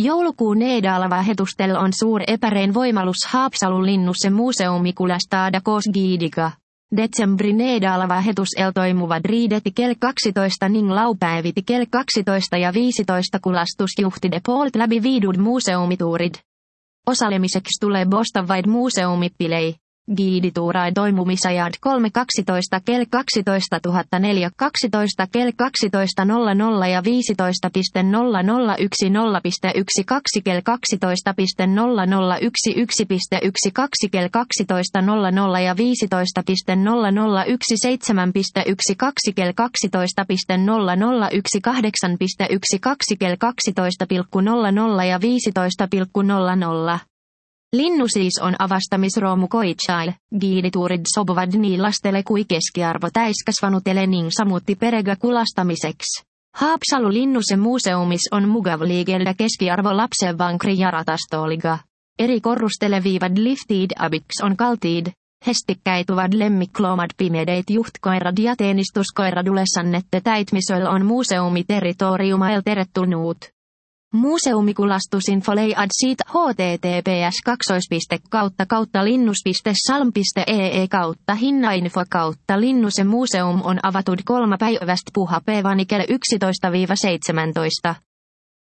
Joulukuun Nedalava hetustel on suur epärein voimalus Haapsalun linnusse museumikulastada kosgiidiga. Detsembri Nedalava hetusel toimuvad riideti kell 12 ning laupäeviti kell 12 ja 15 kulastusjuhtide poolt läbi viidud museumituurid. Osalemiseksi tulee bosta vaid museumipilei. Giidituuraid toimumisajat 3.12 kell 12.04 12 kell 12.00 ja 15.00 10.1 kell 12.00 11.1 kell 12.00 ja 15.00 7.1 kell 12.00 8.1 kell 12.00 ja 15.00. Linnu siis on avastamisroomu koitsail, giidituurid sobuvad nii lastele kui keskiarvo täiskasvanutele ning samuti perega kulastamiseksi. Haapsalu linnuse muuseumis on mugav liigelda keskiarvo lapsenvankri ja ratastooliga. Eri korrustele viivad liftid abiks on kaltiid, hestikkäituvad lemmikloomad pimedeet juhtkoirad ja teenistuskoirad ülesannette täitmisöl on muuseumiterritoriumail tervetullut. Museumikulastusinfo leiad siitä https://linnus.salm.ee/hinnainfo. Linnuse museum on avatud 3 päivästä puhapäiväni kello 11-17.